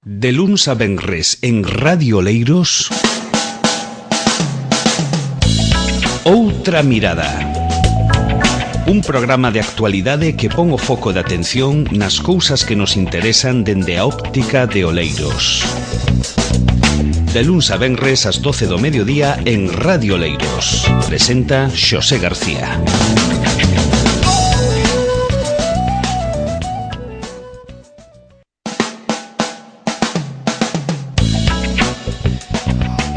De luns a venres en Radio Oleiros, Outra Mirada. Un programa de actualidade que pon o foco de atención nas cousas que nos interesan dende a óptica de Oleiros. De luns a venres ás 12 do mediodía en Radio Oleiros. Presenta Xosé García.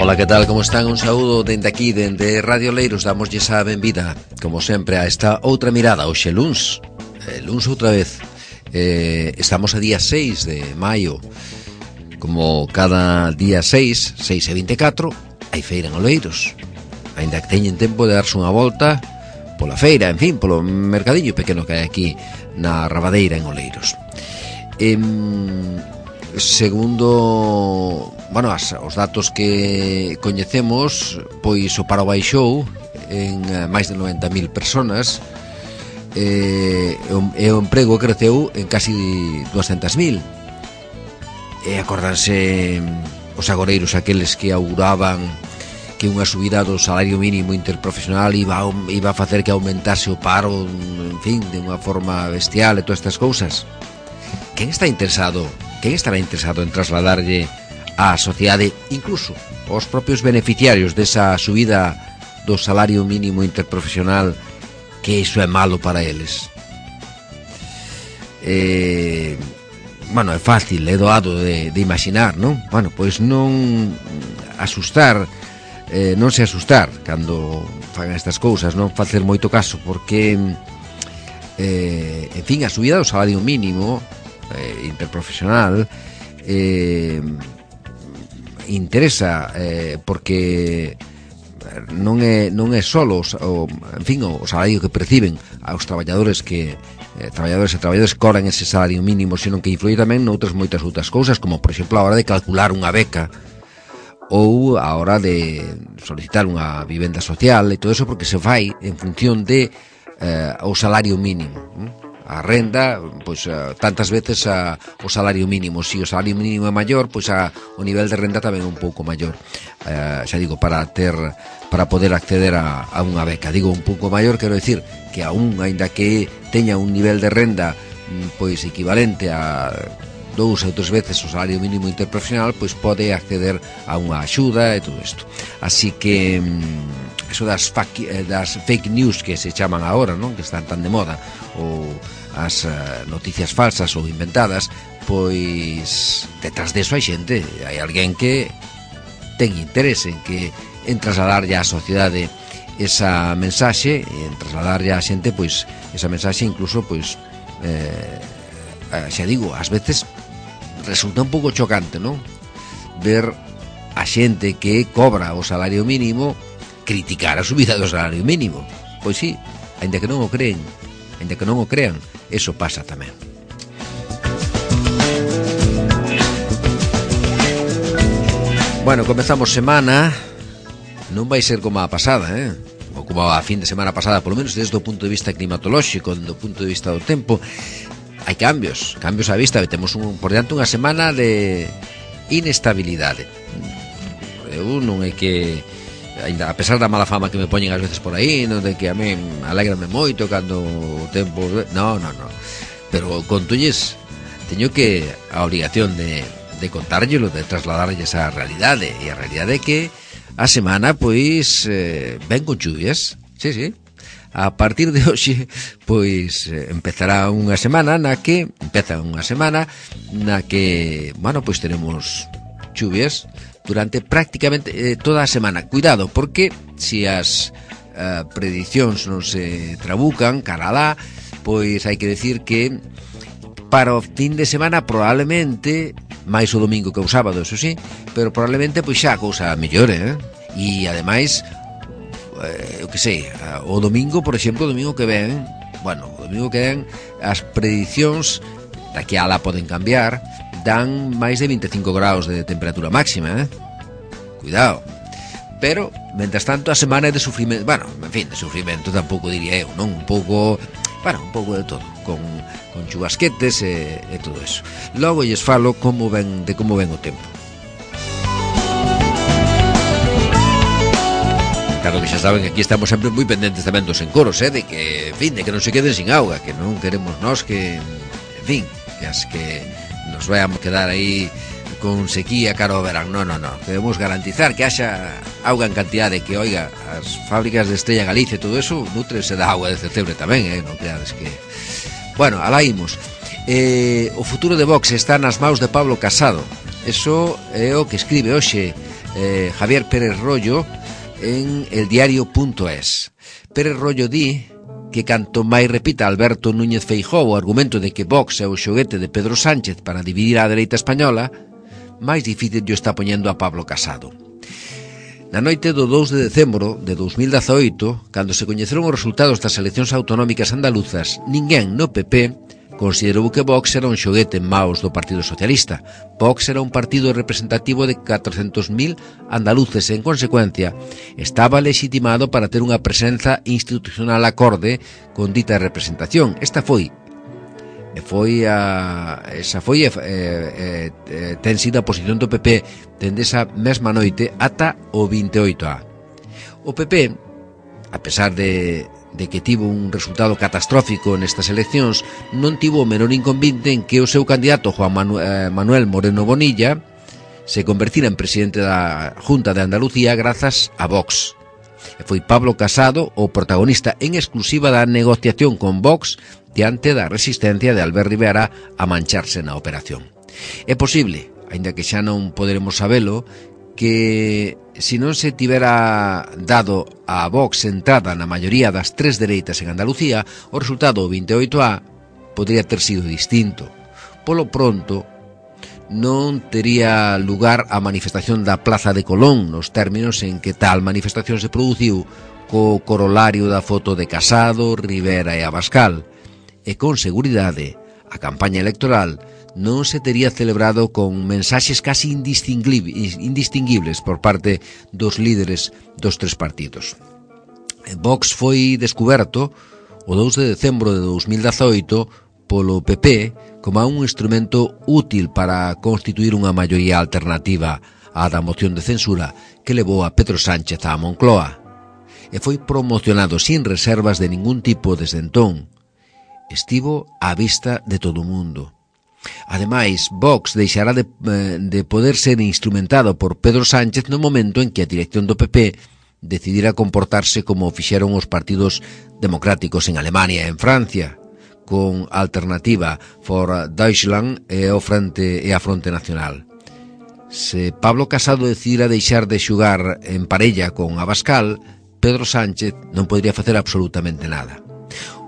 Ola, que tal, como están? Un saúdo dende aquí, dende Radio Oleiros. Damoslle a benvida, como sempre, a esta outra mirada. Hoxe luns outra vez. Estamos a día 6 de maio. Como cada día 6 e 24, hai feira en Oleiros. Ainda que teñen tempo de darse unha volta pola feira, en fin, polo mercadiño pequeno que hai aquí na Rabadeira en Oleiros. Segundo, bueno, os datos que coñecemos, pois o paro baixou en máis de 90.000 personas, e o emprego creceu en casi 200.000. E acordanse os agoreiros aqueles que auguraban que unha subida do salario mínimo interprofesional iba a facer que aumentase o paro, en fin, de unha forma bestial e todas estas cousas. Quen estará interesado en trasladarlle á sociedade, incluso aos propios beneficiarios desa subida do salario mínimo interprofesional, que iso é malo para eles? Bueno, é fácil, é doado de imaginar, non? Bueno, pois non se asustar cando fagan estas cousas, non facer moito caso, porque en fin, a subida do salario mínimo interprofesional interesa, porque non é só o salario que perciben aos traballadores traballadores e traballadores que cobran ese salario mínimo, senón que influye tamén noutras moitas outras cousas, como por exemplo a hora de calcular unha beca ou a hora de solicitar unha vivenda social, e todo eso porque se fai en función de o salario mínimo. A renda, pois tantas veces o salario mínimo. Se o salario mínimo é maior, pois o nivel de renda tamén é un pouco maior. Xa digo, para poder acceder a unha beca. Digo un pouco maior, quero dicir que aún, aínda que teña un nivel de renda pois equivalente a 2 ou 3 veces o salario mínimo interprofesional, pois pode acceder a unha axuda e todo isto. Así que eso das fake news que se chaman agora, non? Que están tan de moda, ou as noticias falsas ou inventadas, pois detrás deso hai xente, hai alguén que ten interese en trasladarlle á sociedade esa mensaxe, e en trasladarlle á xente pois esa mensaxe, incluso pois xa digo, ás veces resulta un pouco chocante, non? Ver a xente que cobra o salario mínimo criticar a subida do salario mínimo. Pois sí, aínda que non o crean, eso pasa tamén. Bueno, comezamos semana. Non vai ser como a pasada, ou como a fin de semana pasada, polo menos desde o punto de vista climatolóxico, desde o punto de vista do tempo. Hai cambios á vista. Temos por diante unha semana de inestabilidade. Eu non é que, ainda a pesar da mala fama que me poñen ás veces por aí, non, de que a mí alégrame moito cando o tempo, no, pero contolles, teño que a obligación de contárllelo, de trasladarlles a realidade, e a realidade é que a semana pois ven con chuvias. Sí. A partir de hoxe pois empezará unha semana na que bueno, pois tenemos chuvias durante prácticamente toda a semana. Cuidado, porque se as predicións non se trabucan cara alá, pois hai que decir que para o fin de semana probablemente, máis o domingo que o sábado, eso sí, pero probablemente pois xa a cousa mellore, e ademais eu que sei, o domingo, por exemplo, o domingo que ven as predicións daqui a lá poden cambiar, dan máis de 25 graus de temperatura máxima, cuidado. Pero, mentras tanto, a semana é de sufrimento. Bueno, en fin, de sufrimento tampouco diría eu, non? Un pouco bueno, un pouco de todo, con chubasquetes e todo eso. Logo lles falo de como ven o tempo. Claro que xa saben que aquí estamos sempre moi pendentes tamén dos encoros, de que, en fin, de que non se queden sin auga, que non queremos nós que, en fin, que nos vayamos quedar aí con sequía caro ao verán. No. Debemos garantizar que haxa auga en cantidade, que, oiga, as fábricas de Estrella Galicia e todo eso nutrese da auga de Cetebre tamén, non creades que... Bueno, alá imos. O futuro de Vox está nas maus de Pablo Casado. Eso é o que escribe hoxe Javier Pérez Rollo en eldiario.es. Pérez Rollo di que canto máis repita Alberto Núñez Feijóo o argumento de que Vox é o xoguete de Pedro Sánchez para dividir a dereita española, máis difícil lle está poñendo a Pablo Casado. Na noite do 2 de decembro de 2018, cando se coñeceron os resultados das eleccións autonómicas andaluzas, ninguén no PP considerou que Vox era un xoguete en maos do Partido Socialista. Vox era un partido representativo de 400.000 andaluces e, en consecuencia, estaba legitimado para ter unha presenza institucional acorde con dita representación. Esta foi ten sido a posición do PP dende esa mesma noite ata o 28A. O PP, a pesar de que tivo un resultado catastrófico nestas eleccións, non tivo o menor inconvinte en que o seu candidato Juan Manuel Moreno Bonilla se convertira en presidente da Junta de Andalucía grazas a Vox. E foi Pablo Casado o protagonista en exclusiva da negociación con Vox diante da resistencia de Albert Rivera a mancharse na operación. É posible, aínda que xa non poderemos sabelo, que se non se tivera dado a Vox entrada na maioría das tres dereitas en Andalucía, o resultado do 28A podría ter sido distinto. Polo pronto, non tería lugar a manifestación da Plaza de Colón nos términos en que tal manifestación se produciu co corolario da foto de Casado, Rivera e Abascal, e con seguridade a campaña electoral non se tería celebrado con mensaxes casi indistinguibles por parte dos líderes dos tres partidos. Vox foi descuberto o 2 de decembro de 2018 polo PP como un instrumento útil para constituir unha maioría alternativa á da moción de censura que levou a Pedro Sánchez á Moncloa, e foi promocionado sin reservas de ningún tipo desde entón. Estivo á vista de todo o mundo. Ademais, Vox deixará de poder ser instrumentado por Pedro Sánchez no momento en que a dirección do PP decidira comportarse como fixeron os partidos democráticos en Alemania e en Francia, con Alternativa for Deutschland e a Fronte Nacional. Se Pablo Casado decidira deixar de xugar en parella con Abascal, Pedro Sánchez non podría facer absolutamente nada.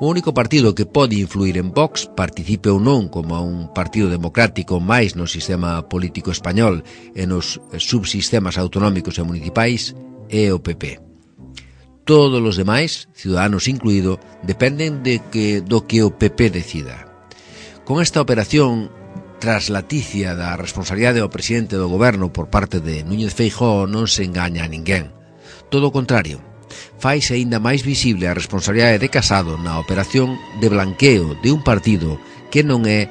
O único partido que pode influir en Vox, participe ou non como un partido democrático máis no sistema político español e nos subsistemas autonómicos e municipais, é o PP. Todos os demais, Ciudadanos incluído, dependen do que o PP decida. Con esta operación traslaticia da responsabilidade ao presidente do goberno por parte de Núñez Feijóo non se engaña a ninguén. Todo o contrario, faise aínda máis visible a responsabilidade de Casado na operación de blanqueo de un partido que non é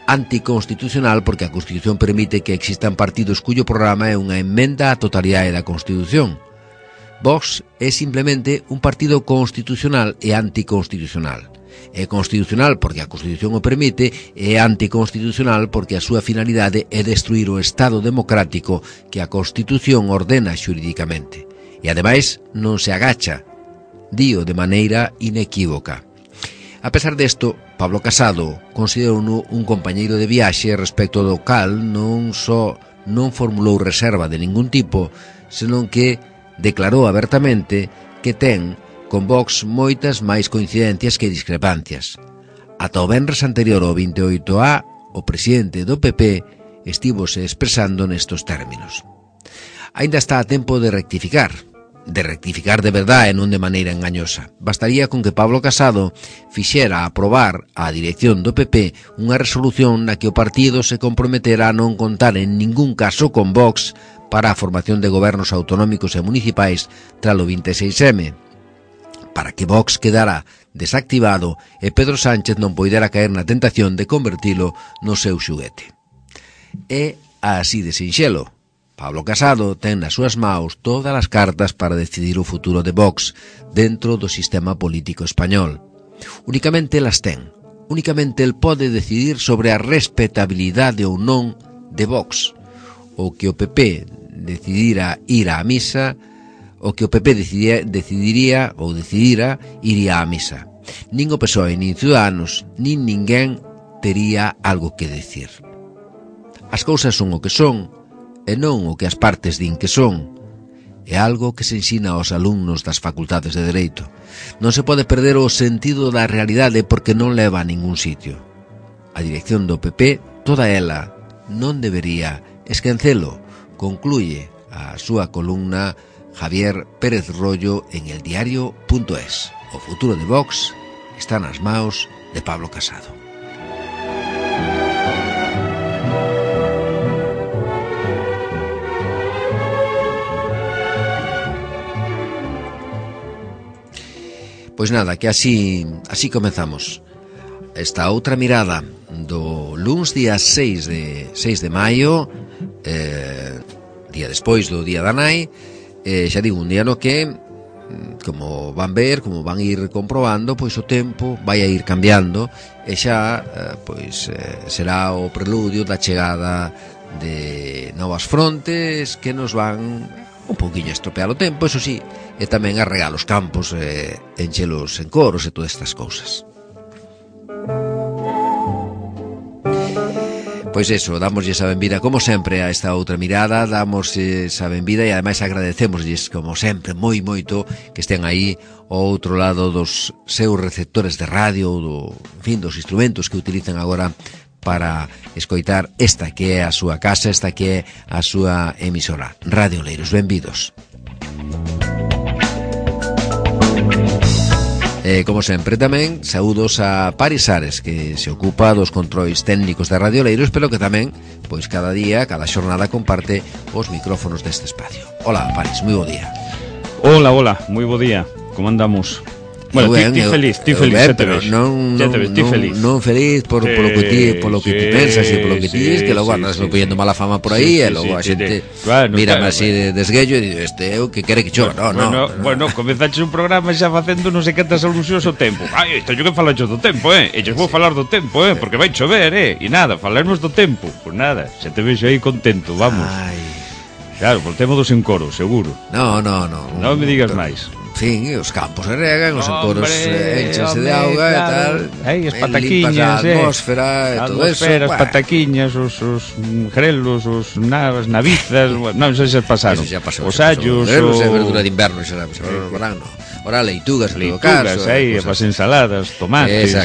anticonstitucional porque a Constitución permite que existan partidos cuyo programa é unha emenda á totalidade da Constitución. Vox é simplemente un partido constitucional e anticonstitucional. É constitucional porque a Constitución o permite e é anticonstitucional porque a súa finalidade é destruir o Estado democrático que a Constitución ordena xurídicamente. E ademais non se agacha, dío de maneira inequívoca. A pesar desto, Pablo Casado considerou un compañeiro de viaxe respecto do cal non só non formulou reserva de ningún tipo, senón que declarou abertamente que ten con Vox moitas máis coincidencias que discrepancias. Ata o venres anterior ao 28A, o presidente do PP estivose expresando nestos términos. Aínda está a tempo de rectificar de verdade e non de maneira engañosa. Bastaría con que Pablo Casado fixera aprobar á dirección do PP unha resolución na que o partido se comprometera a non contar en ningún caso con Vox para a formación de gobernos autonómicos e municipais tras o 26M, para que Vox quedara desactivado e Pedro Sánchez non poidera caer na tentación de convertilo no seu xuguete. É así de sinxelo. Pablo Casado ten nas súas maus todas as cartas para decidir o futuro de Vox dentro do sistema político español. Únicamente las ten. Únicamente el pode decidir sobre a respetabilidade ou non de Vox. O que o PP decidira ir á misa, o que o PP decidira iría á misa. Nin o PSOE, nin Ciudadanos, nin ninguén tería algo que decir. As cousas son o que son, e non o que as partes din que son. É algo que se ensina aos alumnos das facultades de Dereito. Non se pode perder o sentido da realidade porque non leva a ningún sitio. A dirección do PP, toda ela, non debería esquecelo, concluye a súa columna Javier Pérez Rollo en eldiario.es. O futuro de Vox está nas maus de Pablo Casado. Pois nada, que así comezamos esta outra mirada do luns día 6 de maio, día despois do Día da Nai, xa digo, un día no que, como van ver, como van ir comprobando, pois o tempo vai a ir cambiando e xa será o preludio da chegada de novas frontes que nos van un pouquiño estropear o tempo, eso sí, e tamén a regar os campos, enchelos en coros e todas estas cousas. Pois eso, damoslle esa benvida como sempre a esta outra mirada, damos esa benvida e ademais agradecémoslles como sempre moito que estén aí ao outro lado dos seus receptores de radio ou dos instrumentos que utilizan agora para escoitar esta que é a súa casa, esta que é a súa emisora. Radio Oleiros, benvidos. Como sempre tamén, saúdos a Paris Ares, que se ocupa dos controis técnicos de Radio Oleiros, pero que tamén, pois cada día, cada xornada comparte os micrófonos deste espacio. Hola, Paris, moi bo día. Hola, moi bo día. Como andamos? Bueno, ti feliz, xa te ves. Non feliz por lo que ti pensas e polo que ti dis, que logo andas poñendo mala fama por aí e logo a xente mírame así de desguello e digo, este é o que quere que cho. Bueno, comenzaches un programa xa facendo non sei cantas alusións ao tempo. Ai, isto yo que falacho do tempo, e yo vou falar do tempo, porque vai chover, e nada, falarnos do tempo. Pois nada, xa te vexo aí contento, vamos. Claro, por tema dos encoros, seguro. Non me digas máis. En fin, os campos se regan, os encoros enchense de auga e tal. As pataquiñas, a atmósfera e todo eso. As pataquiñas, os grelos, as navizas, non sei se pasaron. Os allos, grelos é verdura de inverno, xa sabes, verano. Ora leitugas, en todo caso. As ensaladas, tomates,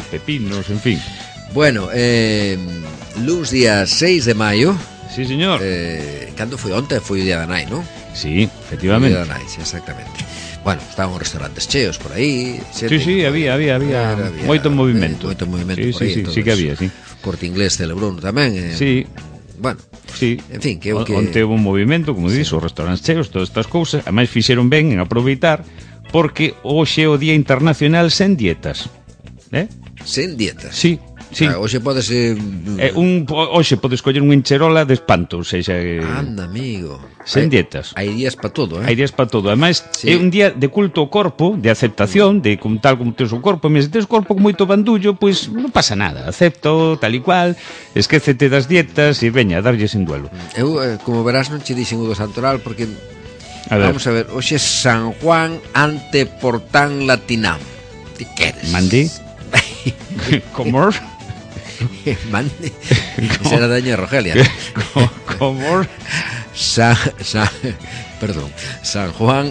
pepinos, en fin. Bueno, luns día 6 de maio. Sí, señor. Cando foi onte? Foi o Día da Nai, non? Sí, efectivamente. O Día da Nai, sí, exactamente. Bueno, estaban os restaurantes cheos por aí. Sí, había moito movimento. Moito movimento por aí. Sí que había, sí. Corte Inglés celebrou tamén. Sí. Bueno, sí. En fin, que onte houve un movimento, como dís, os restaurantes cheos, todas estas cousas, ademais fixeron ben en aproveitar porque hoxe é o Día Internacional sen dietas. Sen dietas? Sí. Sí. Hoxe podes hoxe podes coller un encherola de espanto, ou seja, anda, amigo. Sen dietas. Hai días para todo, Hai días para todo. Ademais, é un día de culto ao corpo, de aceptación, de como tal como tes o corpo, mas se tes o corpo con moito bandullo, pois non pasa nada, acepto tal e cual, esquécete das dietas e veña, darlle sin duelo. Eu, como verás, non che dixen o do santoral porque vamos a ver, hoxe é San Juan ante Portán Latinam. Ti queres? Mandi? Como? Mande. Esa era daña Rogelia. Como? Perdón. San Juan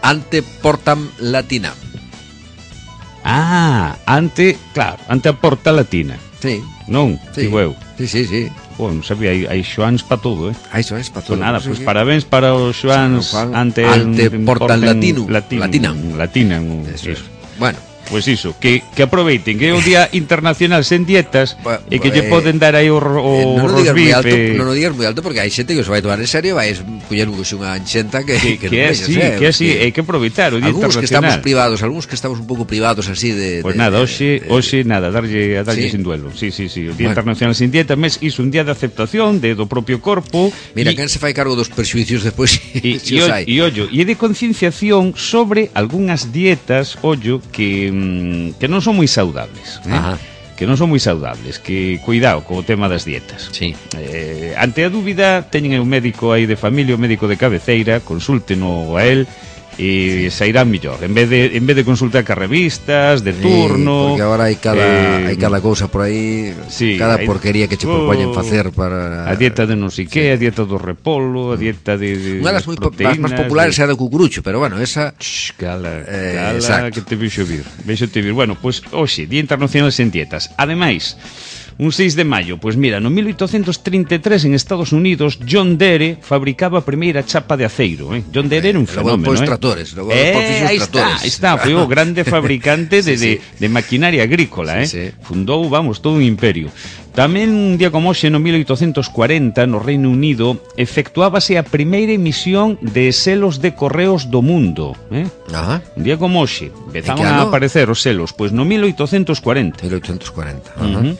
ante Porta Latina. Ante a Porta Latina. Sí. Non? Sí. Digo eu. Sí. Non sabía, hai xoáns para todo, Hai xoáns para todo. Nada, pois parabéns para os xoáns ante Porta Latinam. Latinam. Bueno. Pois iso, que aproveiten que é o Día Internacional sen dietas e que lle poden dar aí o rosbife. Non o digas moi alto porque hai xente que se vai tomar en serio, vai coller unha anxenta que é así, hai que aproveitar o Día Internacional. Algúns que estamos un pouco privados así de... Pois nada, hoxe nada, darlle sin duelo. Sí, o Día Internacional sen dieta, mes iso un día de aceptación do propio corpo. Mira, quen se fai cargo dos perxuicios despois e de concienciación sobre algunhas dietas, que non son moi saudables, que non son moi saudables, que cuidado co tema das dietas. Sí. Ante a dúbida, teñen un médico aí de familia, o médico de cabeceira, consúlteno a él e sairán millor, en vez de consultar cas revistas de turno, porque agora hai cada cousa por aí, cada porquería que che propoñen facer para a dieta de non sei que, a dieta do repolo, a dieta de unha das máis populares é a do cucurucho, pero bueno, esa cala que te vexo vir. Bueno, pois hoxe, Día Internacional sen dietas. Ademais, un 6 de maio, pois mira, no 1833 en Estados Unidos John Deere fabricaba a primeira chapa de aceiro, John Deere era un fenómeno, aí está, foi o grande fabricante de maquinaria agrícola, Fundou, todo un imperio. Tamén un día como hoxe, no 1840, no Reino Unido, efectuábase a primeira emisión de selos de correos do mundo, Un día como hoxe, empezaban a aparecer os selos, pois no 1840. 1840,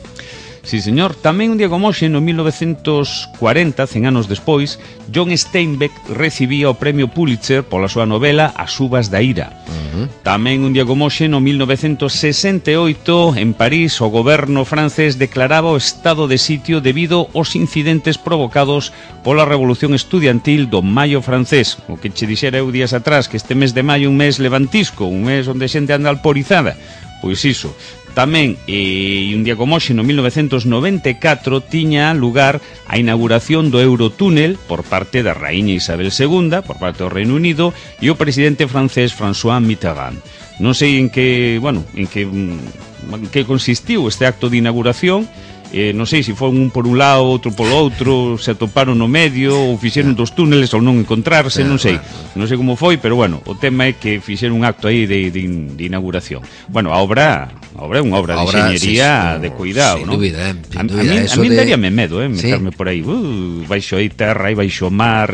Sí, señor. Tamén un día como hoxe, no 1940, 100 anos despois, John Steinbeck recibía o premio Pulitzer pola súa novela As uvas da ira. Tamén un día como hoxe, no 1968, en París, o goberno francés declaraba o estado de sitio debido aos incidentes provocados pola revolución estudiantil do maio francés. O que che dixera eu días atrás, que este mes de maio un mes levantisco, un mes onde xente anda alporizada. Pois iso. Tamén, un día como hoxe, no 1994, tiña lugar a inauguración do Eurotúnel por parte da raíña Isabel II, por parte do Reino Unido, e o presidente francés François Mitterrand. Non sei en que consistiu este acto de inauguración, non sei se foi un por un lado, outro polo outro, se atoparon no medio ou fixeron dos túneles ou non encontrarse, non sei como foi, pero bueno, o tema é que fixeron un acto aí de inauguración. Bueno, a obra é unha obra de enxeñería de cuidado, non? Sin dúbida, a mí daríame medo, meterme por aí, baixo aí terra e baixo mar,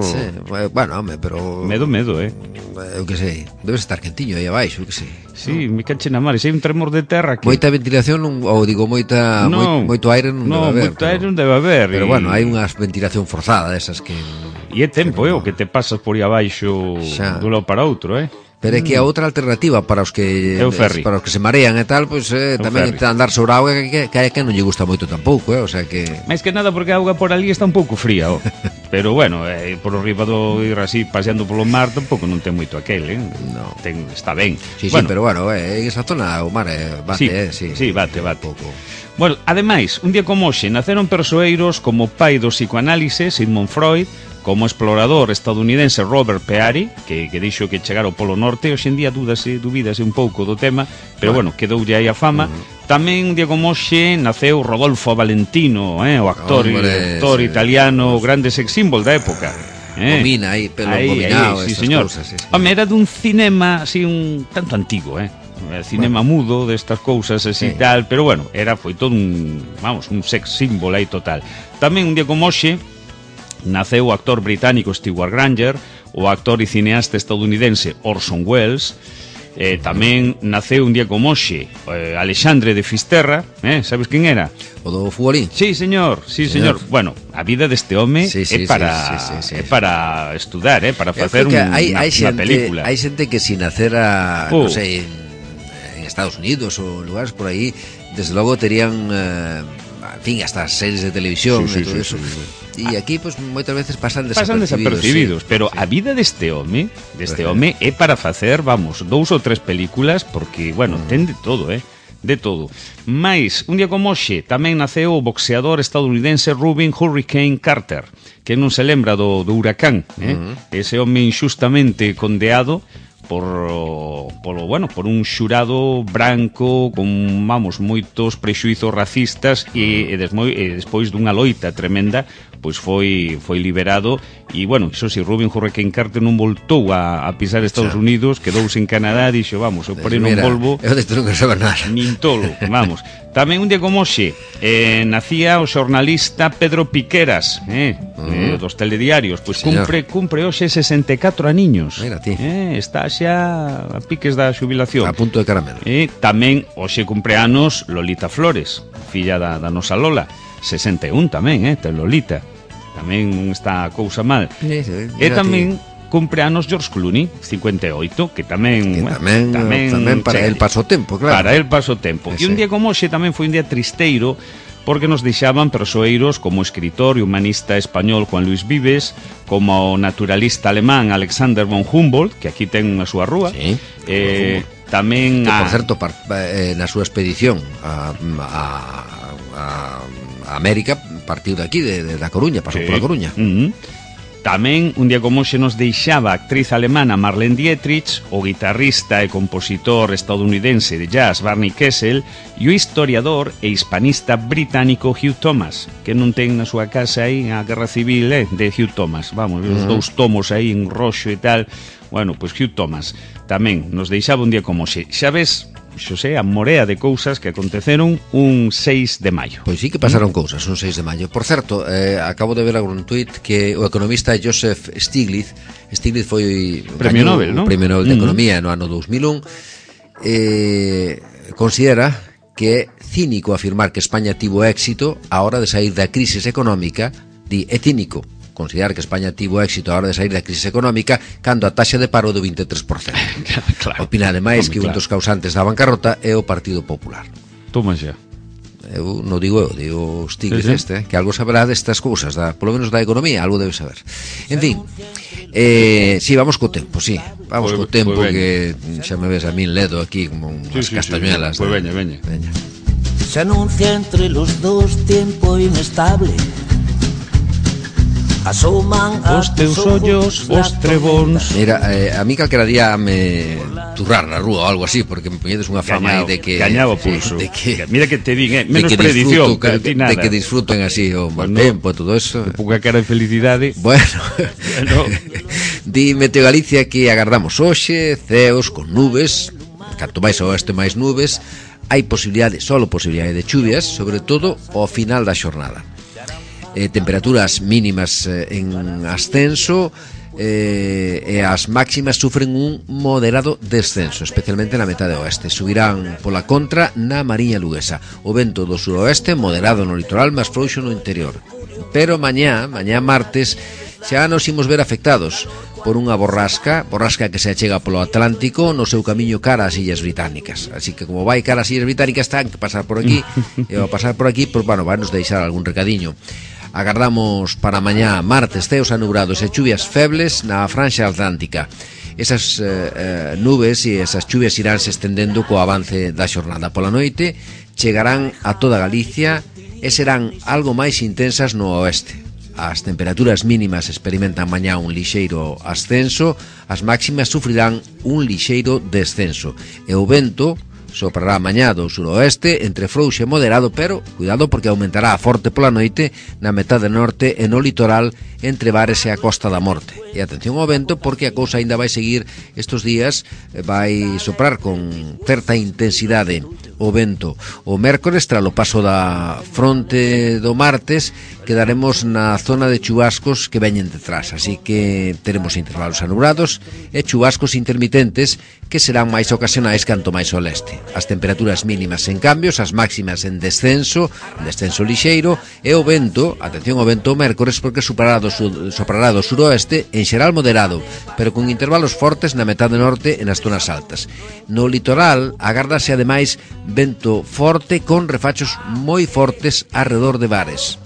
Sí, bueno, home, pero... Medo, eu que sei, debes estar quentiño aí abaixo, eu que sei. Sí, me cache na mar, se hai un tremor de terra que... Moita ventilación, moito aire non debe haber. Moito aire non debe haber. Pero bueno, hai unha ventilación forzada desas que... E é tempo, o que te pasas por aí abaixo dun lado para outro, Pero é que a outra alternativa para os que se marean e tal, pois tamén andar sobre a auga que non lle gusta moito tampouco, o sea que... Mais que nada porque a auga por ali está un pouco fría, Pero bueno, por arriba do ir así paseando polo mar tampouco non ten moito aquel, No. Está ben. Sí, pero bueno, en esa zona o mar bate, Sí, bate. Pouco. Bueno, ademais, un día como hoxe naceron persoeiros como o pai do psicoanálise, Sigmund Freud, como explorador estadounidense Robert Peary, que dixo que chegar ao Polo Norte. Hoxe en día dúbidase un pouco do tema, pero bueno, quedoulle aí a fama. Tamén un día como hoxe naceu Rodolfo Valentino, o actor italiano, grande sex symbol da época. Domina aí, pelo dominado, sí, señor. Home, era dun cinema así un tanto antigo, cinema mudo destas cousas así tal, pero bueno, foi todo un sex symbol aí total. Tamén un día como hoxe naceu o actor británico Stewart Granger, o actor e cineasta estadounidense Orson Welles. Tamén naceu un día como hoxe Alexandre de Fisterra, sabes quen era? O do futbolín. Sí, señor. Bueno, a vida deste home é para estudar, para facer unha película. Hai xente que si nacera, non sei, en Estados Unidos ou lugares por aí, desde logo terían en fin, hasta series de televisión e todo eso. E aquí, pues, moitas veces pasan desapercibidos, pero a vida deste home é para facer, 2 ou 3 películas, porque, bueno, ten de todo, de todo. Mais, un día como hoxe, tamén naceu o boxeador estadounidense Rubin Hurricane Carter, que non se lembra do huracán, ese home injustamente condeado por un xurado branco con, moitos prexuizos racistas e despois dunha loita tremenda, pois foi liberado e, iso si, Rubén Hurricane Carter non voltou a pisar Estados Unidos, quedouse en Canadá e dixo, eu porei non volvo eu desto non quero saber nada nin tolo, Tamén un día como hoxe nacía o xornalista Pedro Piqueras, dos telediarios, pois cumpre hoxe 64 aniños. Mira ti. Está xa a piques da xubilación. A punto de caramelo. Tamén hoxe cumpre anos Lolita Flores, filla da nosa Lola, 61 tamén, ten Lolita. Tamén non está a cousa mal. E tamén cumpre anos George Clooney, 58, que tamén para el paso tempo, claro. Para el paso tempo. E un día como hoxe tamén foi un día tristeiro, porque nos deixaban persoeiros como o escritor e humanista español Juan Luis Vives, como o naturalista alemán Alexander von Humboldt, que aquí ten a súa rúa. Sí. Tamén que, por certo, na súa expedición a América partiu de aquí, da Coruña, pasou pola Coruña. Tamén, un día como hoxe, nos deixaba a actriz alemana Marlene Dietrich, o guitarrista e compositor estadounidense de jazz Barney Kessel e o historiador e hispanista británico Hugh Thomas, que non ten na súa casa aí a Guerra Civil de Hugh Thomas. Os dous tomos aí en roxo e tal. Pois Hugh Thomas tamén nos deixaba un día como hoxe. Xa ves, Xosé, a morea de cousas que aconteceron un 6 de maio. Pois sí que pasaron cousas un 6 de maio. Por certo, acabo de ver algún tuit que o economista Joseph Stiglitz foi Premio Nobel, non? Premio Nobel de Economía no ano 2001. Considera que é cínico afirmar que España tivo éxito a hora de sair da crisis económica. É cínico considerar que España tivo éxito a hora de sair da crisis económica cando a taxa de paro do 23%. Claro. Opina ademais que un dos causantes da bancarrota é o Partido Popular. Toma xa. Eu non digo Stiglitz que algo saberá destas cousas, polo menos da economía, algo debe saber. En fin, si, vamos co tempo, si. Vamos co tempo que xa me ves a min ledo aquí como unhas castañuelas. Pois veña. Se anuncia entre los dos tiempo inestable. Asoman os teus ollos, os trebóns. Mira, a mí calquera día me turrar na rúa ou algo así, porque me poñedes unha fama aí de que gañaba o pulso. Mira que te din, menos predición, de que disfruten así o mal tempo e todo eso. Pouca cara de felicidade. Bueno. Di Meteo Galicia que agardamos hoxe ceos con nubes, canto máis ao oeste máis nubes. Hai solo posibilidade de chuvias, sobre todo ao final da xornada. Temperaturas mínimas en ascenso e as máximas sufren un moderado descenso, especialmente na metade oeste. Subirán pola contra na Mariña Luguesa. O vento do suroeste moderado no litoral, máis frouxo no interior. Pero mañá martes, xa nos imos ver afectados por unha borrasca que se achega polo Atlántico no seu camiño cara ás Illas Británicas. Así que como vai cara ás Illas Británicas, ten que pasar por aquí, e ao pasar por aquí, pois, vai nos deixar algún recadiño. Agardamos para mañá martes ceos anubrados e chuvias febles na franxa atlántica. Esas nubes e esas chuvias iránse estendendo co avance da xornada. Pola noite chegarán a toda Galicia e serán algo máis intensas no oeste. As temperaturas mínimas experimentan mañá un lixeiro ascenso, as máximas sufrirán un lixeiro descenso e o vento soprará mañá do suroeste entre frouxo e moderado, pero cuidado porque aumentará a forte pola noite na metade norte e no litoral entre Bares e a Costa da Morte. E atención ao vento porque a cousa ainda vai seguir estes días, vai soprar con certa intensidade o vento. O mércores, tras o paso da fronte do martes, quedaremos na zona de chubascos que veñen detrás, así que teremos intervalos anubrados e chubascos intermitentes que serán máis ocasionais canto máis ao leste. As temperaturas mínimas en cambios, as máximas en descenso lixeiro, e o vento, atención ao vento o mércores porque soprará do suroeste en xeral moderado, pero con intervalos fortes na metade norte e nas zonas altas. No litoral agárdase ademais vento forte con refachos moi fortes arredor de Bares.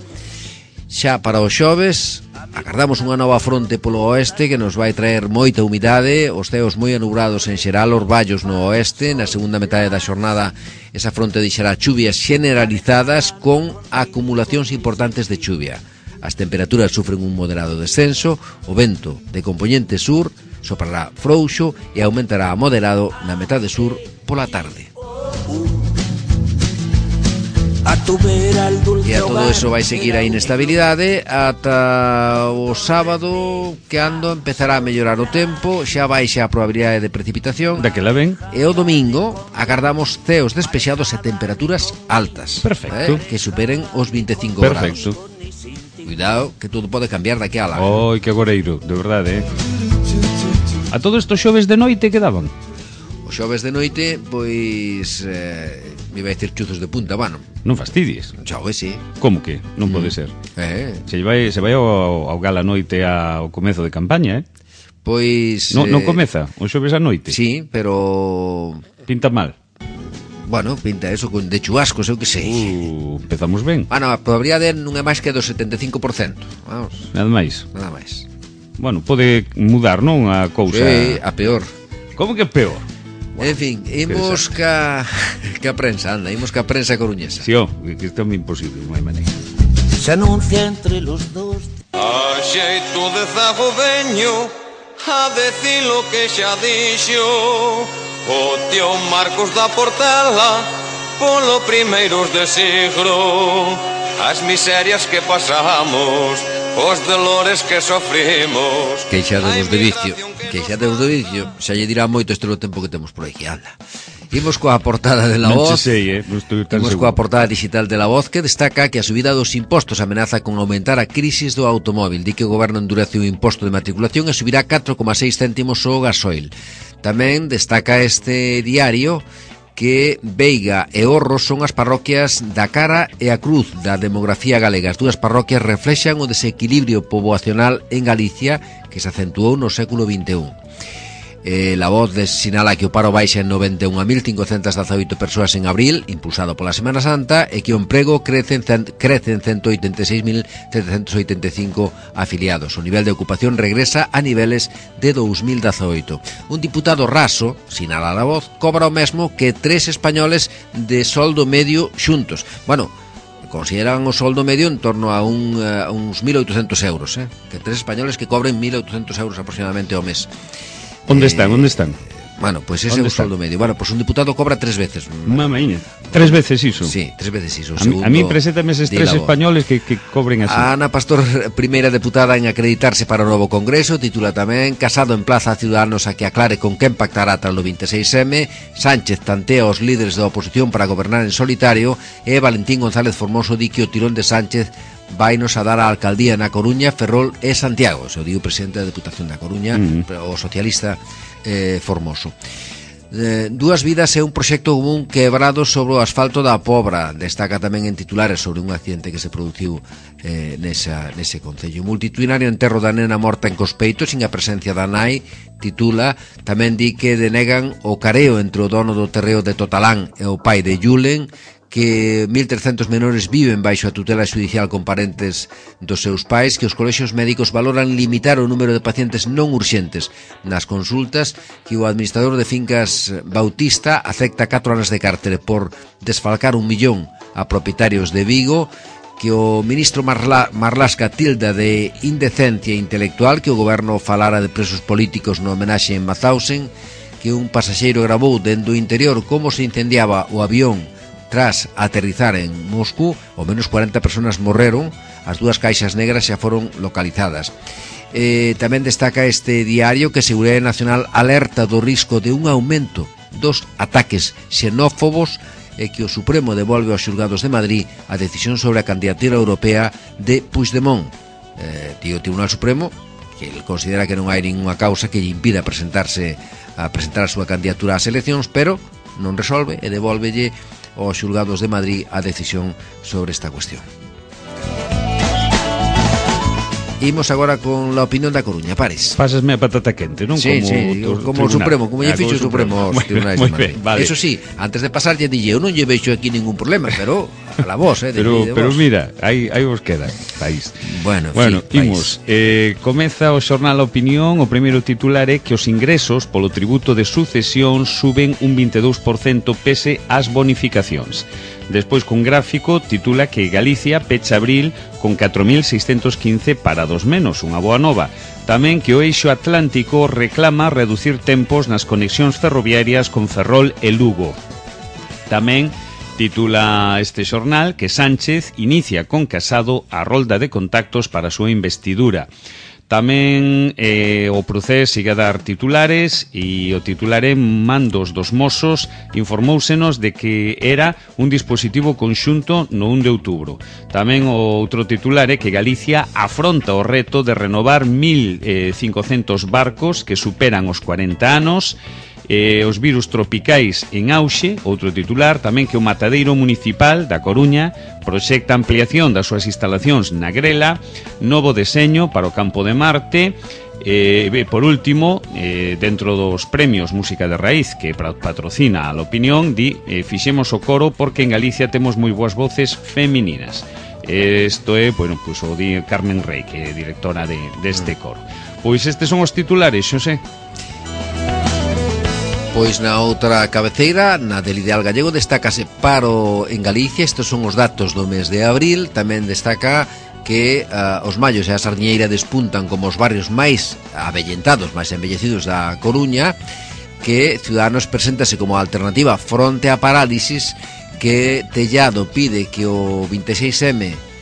Xa para os xoves agardamos unha nova fronte polo oeste que nos vai traer moita humidade, os ceos moi anubrados en xeral, orballos no oeste. Na segunda metade da xornada esa fronte deixará chuvias generalizadas con acumulacións importantes de chuvia. As temperaturas sufren un moderado descenso, o vento de compoñente sur soprará frouxo e aumentará a moderado na metade sur pola tarde. E a todo eso vai seguir a inestabilidade ata o sábado, que ando empezará a mellorar o tempo, xa baixa a probabilidade de precipitación. Daquela ven. E o domingo agardamos ceos despexados e temperaturas altas. Perfecto. Que superen os 25 Perfecto. grados. Cuidado, que todo pode cambiar daqui a lá. Oi, que agoreiro, de verdade, A todo isto xoves de noite quedaban? Os xoves de noite, pois... me vai dicir chuzos de punta, bueno. Non fastidies. Xoves, sí. Como que? Non pode ser. Se vai ao gala noite ao comezo de campaña, Pois... Non comeza o xoves a noite? Sí, pero... Pinta mal. Bueno, pinta eso de chubascos, eu que sei. Empezamos ben. Bueno, a probabilidade non é máis que do 75%. Vamos. Nada máis. Nada máis. Bueno, pode mudar, non, a cousa? Sí, a peor. Como que peor? Bueno, en fin, imos ca prensa, anda, imos ca prensa coruñesa. Si, que isto é imposible, non hai maneira. Se anuncia entre los dos. A xeito de zago veño a decir lo que xa dixo o tío Marcos da Portela polo primeiros de siglo. As miserias que pasamos, os dolores que sofrimos. Queixademos de vicio, xa lle dirá moito este tempo que temos por aquí, anda. Imos coa portada de La Voz. Non sei, non estou tan Imos seguro. coa portada digital de La Voz, que destaca que a subida dos impostos amenaza con aumentar a crisis do automóvil. Di que o goberno endurece o imposto de matriculación e subirá 4,6 céntimos o gasoil. Tamén destaca este diario que Veiga e Orro son as parroquias da Cara e a Cruz da demografía galega. As dúas parroquias reflexan o desequilibrio poboacional en Galicia que se acentuou no século XXI. La Voz sinala que o paro baixa en 91.518 persoas en abril, impulsado pola Semana Santa, e que o emprego crece en 186.785 afiliados. O nivel de ocupación regresa a niveles de 2018. Un diputado raso, sinala La Voz, cobra o mesmo que 3 españoles de soldo medio xuntos. Bueno, consideran o soldo medio en torno a uns 1.800 euros, que 3 españoles que cobren 1.800 euros aproximadamente ao mes. Onde están? Bueno, pois ese é o soldo medio. Bueno, pois un diputado cobra 3 veces. Mamaíña. 3 veces iso? Sí, 3 veces iso. A mí preséntame eses 3 españoles que cobren así. Ana Pastor, primeira deputada en acreditarse para o novo Congreso, titula tamén: Casado emplaza a Ciudadanos a que aclare con quen pactará tras o 26M. Sánchez tantea os líderes da oposición para gobernar en solitario. E Valentín González Formoso di que o tirón de Sánchez vainos a dar a alcaldía na Coruña, Ferrol e Santiago. Se o diu o presidente da Deputación da Coruña, o socialista Formoso. Dúas vidas é un proxecto común quebrado sobre o asfalto da Pobra. Destaca tamén en titulares sobre un accidente que se produciu nese concello. Multitudinario enterro da nena morta en Cospeito sin a presencia da nai, titula. Tamén di que denegan o careo entre o dono do terreo de Totalán e o pai de Yulen, que 1.300 menores viven baixo a tutela xudicial con parentes dos seus pais, que os colexios médicos valoran limitar o número de pacientes non urxentes nas consultas, que o administrador de fincas Bautista acepta 4 anos de cárcere por desfalcar 1 millón a propietarios de Vigo, que o ministro Marlasca tilda de indecencia intelectual que o goberno falara de presos políticos no homenaxe en Mauthausen, que un pasaxeiro gravou dentro do interior como se incendiaba o avión tras aterrizar en Moscú. Ao menos 40 personas morreron, as 2 caixas negras xa foron localizadas. Tamén destaca este diario que a Seguridade Nacional alerta do risco de un aumento dos ataques xenófobos e que o Supremo devolve aos xulgados de Madrid a decisión sobre a candidatura europea de Puigdemont. O Tribunal Supremo, que ele considera que non hai ninguna causa que lle impida presentar a súa candidatura ás eleccións, pero non resolve e devolvelle aos xulgados de Madrid a decisión sobre esta cuestión. Imos agora con la opinión da Coruña, Pares. Pásasme a patata quente, non? Sí, como o Supremo, como lle fixo o Supremo aos tribunais de Madrid. Vale. Eso sí, antes de pasar lle dille, eu non lle vexo aquí ningún problema, pero a la voz, pero mira, aí vos queda, país. Bueno, imos. Comeza o xornal A Opinión. O primeiro titular é que os ingresos polo tributo de sucesión suben un 22% pese ás bonificacións. Despois, cun gráfico, titula que Galicia pecha abril con 4.615 parados menos, unha boa nova. Tamén que o eixo atlántico reclama reducir tempos nas conexións ferroviarias con Ferrol e Lugo. Tamén titula este xornal que Sánchez inicia con Casado a rolda de contactos para a súa investidura. Tamén o Procés sigue a dar titulares e o titular en Mandos dos Mossos informóusenos de que era un dispositivo conxunto no 1 de outubro. Tamén o outro titular é que Galicia afronta o reto de renovar 1.500 barcos que superan os 40 anos. Os virus tropicais en auxe, outro titular, tamén que o matadeiro municipal da Coruña proxecta ampliación das súas instalacións na Grela, novo deseño para o campo de Marte. Por último, dentro dos premios Música de Raíz que patrocina a L'Opinión, fixemos o coro porque en Galicia temos moi boas voces femininas. Isto é, bueno, pues, o di Carmen Rey, que é directora deste coro. Pois estes son os titulares, Xosé. Pois na outra cabeceira, na del Ideal Gallego, destácase paro en Galicia. Estes son os datos do mes de abril. Tamén destaca que os Mallos e a Sardiñeira despuntan como os barrios máis avellentados, máis embellecidos da Coruña, que Ciudadanos preséntase como alternativa fronte á parálisis, que Tellado pide que o 26M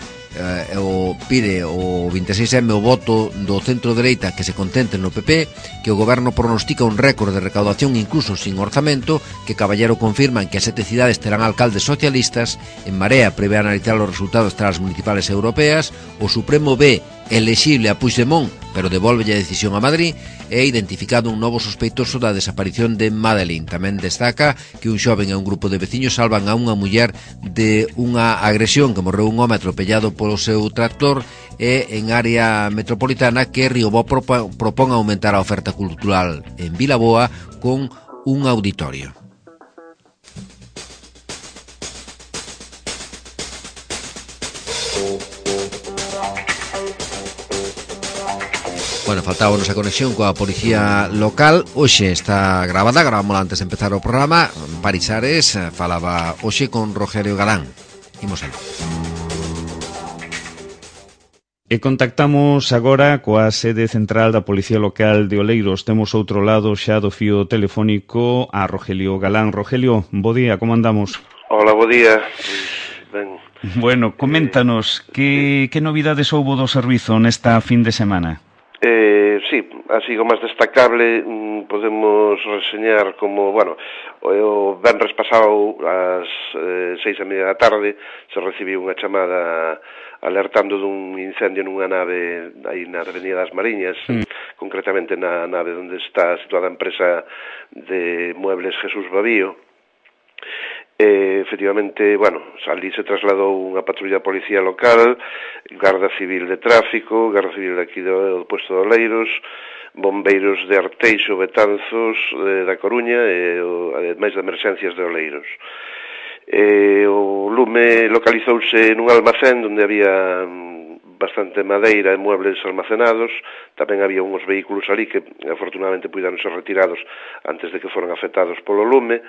pide o 26M o voto do centro-dereita que se contente no PP, que o goberno pronostica un récord de recaudación incluso sin orzamento, que Caballero confirman que as 7 cidades terán alcaldes socialistas, En Marea prevé analizar os resultados tras as municipales europeas, o Supremo ve elexible a Puigdemont, pero devolve a decisión a Madrid, e identificado un novo sospeitoso da desaparición de Madeleine. Tamén destaca que un xoven e un grupo de veciños salvan a unha muller de unha agresión que morreu un home atropellado polo seu tractor, e en área metropolitana que Riobó propón aumentar a oferta cultural en Vilaboa con un auditorio. Bueno, faltábanos a conexión coa policía local. Hoxe está gravada, gravámola antes de empezar o programa. Paris Ares falaba hoxe con Rogelio Galán. Imos algo. E contactamos agora coa sede central da Policía Local de Oleiros. Temos outro lado xa do fío telefónico a Rogelio Galán. Rogelio, bo día, como andamos? Hola, bo día. Ben. Bueno, coméntanos, que novidades houbo do servizo nesta fin de semana? Sí, así o máis destacable podemos reseñar como, bueno, o venres pasado ás 6:30 da tarde se recibiu unha chamada alertando dun incendio nunha nave aí na Avenida das Mariñas, concretamente na nave onde está situada a empresa de muebles Jesús Babío. Efectivamente, bueno, ali se trasladou unha patrulla de policía local, Garda Civil de Tráfico, Garda Civil de aquí do Puesto de Oleiros, bombeiros de Arteixo, Betanzos, da Coruña e máis de emerxencias de Oleiros. O lume localizouse nun almacén onde había bastante madeira e muebles almacenados. Tamén había uns vehículos ali que afortunadamente puideron ser retirados antes de que foran afectados polo lume.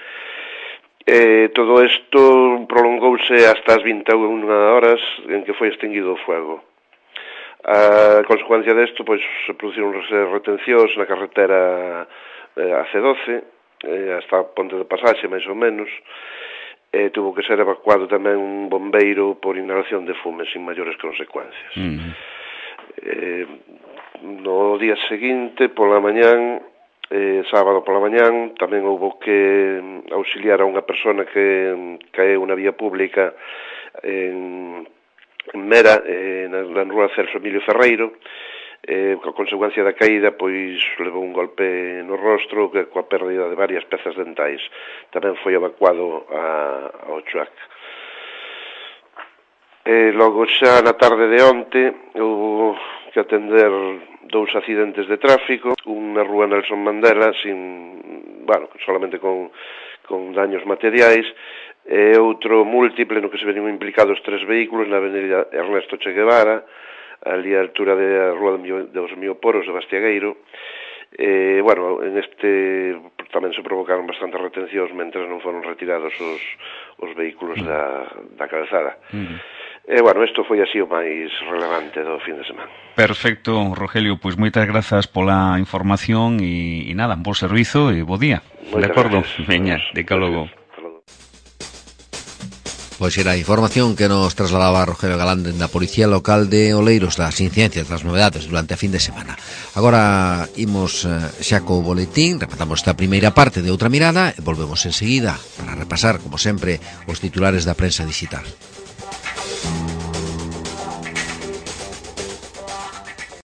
Todo isto prolongouse hasta as 21 horas en que foi extinguido o fuego. A consecuencia desto, pois, se produciron retencións na carretera AC12 hasta a Ponte de Pasaxe, máis ou menos. Tuvo que ser evacuado tamén un bombeiro por inhalación de fume sin maiores consecuencias. No día seguinte, pola mañán, sábado pola mañán, tamén houbo que auxiliar a unha persona que caeu na vía pública en Mera, na rúa Celso Emilio Ferreiro. Coa consecuencia da caída, pois levou un golpe no rostro coa pérdida de varias pezas dentais. Tamén foi evacuado ao CHUAC. Logo xa na tarde de onte houve que atender 2 accidentes de tráfico, un na rúa Nelson Mandela solamente con daños materiais, e outro múltiple no que se venían implicados 3 vehículos na avenida Ernesto Che Guevara, ali a altura da rúa dos Mioporos de Bastiagueiro. En este tamén se provocaron bastantes retencións mentre non foron retirados os vehículos da calzada. Bueno, isto foi así o máis relevante do fin de semana. Perfecto, Rogelio, pois moitas grazas pola información e nada, bo servizo e bo día. De acordo? Veña, de que logo. Pois era a información que nos trasladaba Rogelio Galán da Policía Local de Oleiros, das incidencias, das novedades durante a fin de semana. Agora imos xa co boletín, repatamos esta primeira parte de Outra Mirada e volvemos enseguida para repasar, como sempre, os titulares da prensa digital.